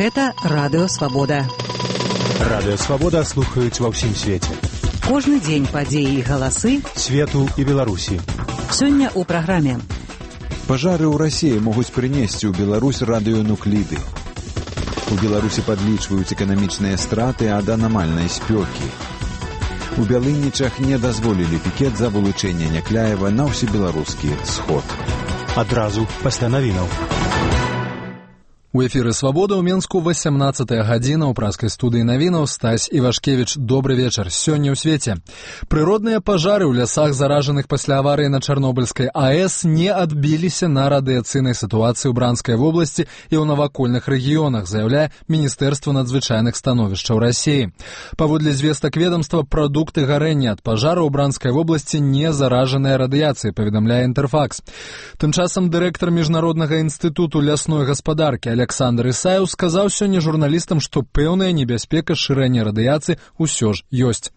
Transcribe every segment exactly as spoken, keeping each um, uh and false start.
Гэта Радыё Свабода. Радыё Свабода слухаюць ва ўсім свеце. Кожны дзень падзеі і галасы свету і Беларусі. Сёння ў праграме. Пажары ў Расіі могуць прынесці ў Беларусь радыёнукліды. У Беларусі падлічваюць эканамічныя страты ад анамальнай спёкі. У Бялынічах не дазволілі пікет за вылучэнне Някляева на ўсебеларускі сход. Адразу пасля навінаў. У эфіры «Свабода» ў Менску васямнаццатая гадзіна ў праскай студыі навінаў. Стась Івашкевіч, добры вечар. Сёння ў свеце. Прыродныя пажары ў лясах, заражаных пасля аварыі на Чарнобыльскай АЭС, не адбіліся на радыяцыйнай сітуацыі ў Бранскай вобласці і ў навакольных рэгіёнах, заяўляе Міністэрства надзвычайных становішчаў Расіі. Паводле звестак ведамства, прадукты гарэння ад пажара ў Бранскай вобласці не заражаныя радыяцыяй, паведамляе Інтэрфакс. Тым часам дырэктар Міжнароднага інстытуту лясной гаспадаркі Александр Ісаеў сказаў сёння журналістам, што пэўная небяспека шырэння радыяцыі ўсё ж ёсць.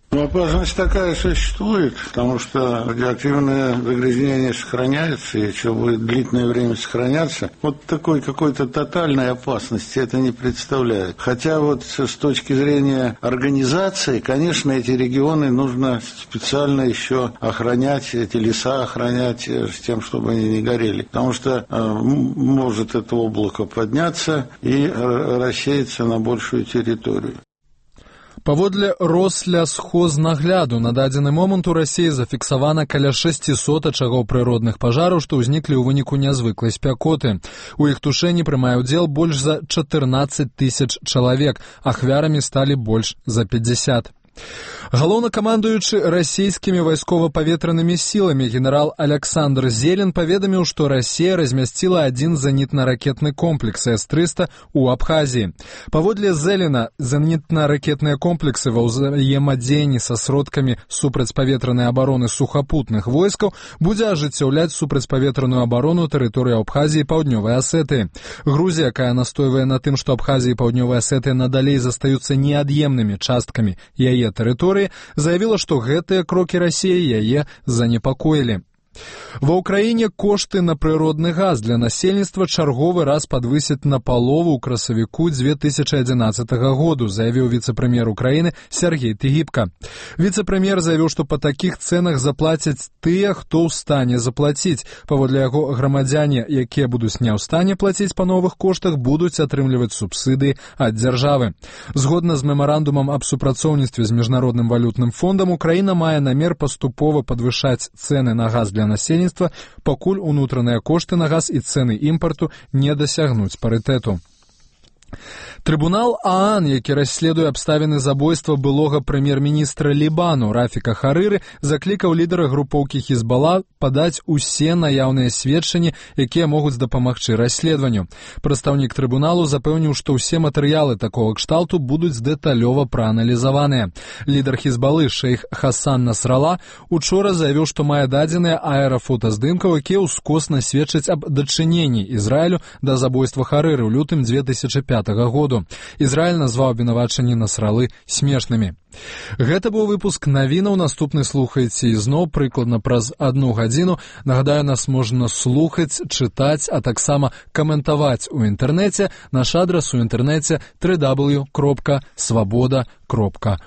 Опасность такая существует, потому что радиоактивное загрязнение сохраняется, и еще будет длительное время сохраняться. Вот такой какой-то тотальной опасности это не представляет. Хотя вот с точки зрения организации, конечно, эти регионы нужно специально еще охранять, эти леса охранять с тем, чтобы они не горели. Потому что э, может это облако подняться и рассеяться на большую территорию. Паводле Рослясхознагляду на дадзены момант у Расіі зафіксавана каля шасцісот ачагоў прыродных пажараў, што ўзніклі ў выніку нязвыклай спякоты. У іх тушэнні прымае ўдзел больш за чатырнаццаць тысяч чалавек, ахвярамі сталі больш за пятьдесят. Галоўнакамандуючы расійскімі вайскова-паветранымі сіламі генерал Александр Зелен паведаміў, што Расія размясціла адзін зенітна-ракетны комплекс эс трыста ў Абхазіі. Паводле Зелена, зенітна-ракетныя комплексы ва ўзаемадзеянні са сродкамі супрацьпаветранай абароны сухапутных войскаў будзе ажыццяўляць супрацьпаветраную абарону тэрыторыі Абхазіі і Паўднёвай Асетыі. Грузія, якая настойвае на тым, што Абхазія і Паўднёвая Асетыя надалей застаюцца неад'емнымі часткамі яе тэрыторыі, заявіла, што гэтыя крокі Расіі яе занепакоілі. Ва ўкраіне кошты на прыродны газ для насельніцтва чарговы раз падвысяць на палову ў красавіку дзве тысячы адзінаццатага году, заявіў віцэ-прэм'ер Украіны Сергей Тыгіпка. Віцэ-прэм'ер заявіў, што па такіх цэнах заплацяць тыя, хто ў стане заплаціць. Паводле яго, грамадзяне, якія будуць не ў стане плаціць па новых коштах, будуць атрымліваць субсідыі ад дзяржавы. Згодна з мемарандумам аб супрацоўніцтве з Міжнародным валютным фондам, Украіна мае намер паступова падвышаць цэны на газ для насельніцтва, пакуль унутраныя кошты на газ і цэны імпарту не дасягнуць парытэту. Трыбунал ААН, які расследуе абставіны забойства былога прэм'ер-міністра Лібану Рафіка Харыры, заклікаў лідара групоўкі Хізбала падаць усе наяўныя сведчанні, якія могуць дапамагчы расследаванню. Прадстаўнік трыбуналу запэўніў, што ўсе матэрыялы такога кшталту будуць дэталёва прааналізаваныя. Лідар Хізбалы шэйх Хасан Насрала учора заявіў, што мае дадзеныя аэрафотаздымкаў, якія ўскосна сведчаць аб дачыненні Ізраілю да забойства Харыры ў лютым дзве тысячы пятага году. Ізраіль назваў абвінавачанні Насралы смешнымі. Гэта быў выпуск навінаў. Наступны слухайце ізноў прыкладна праз адну гадзіну. Нагадаю, нас можна слухаць, чытаць, а таксама каментаваць у інтэрнэце. Наш адрас у інтэрнэце дабл ю дабл ю дабл ю кропка свабода кропка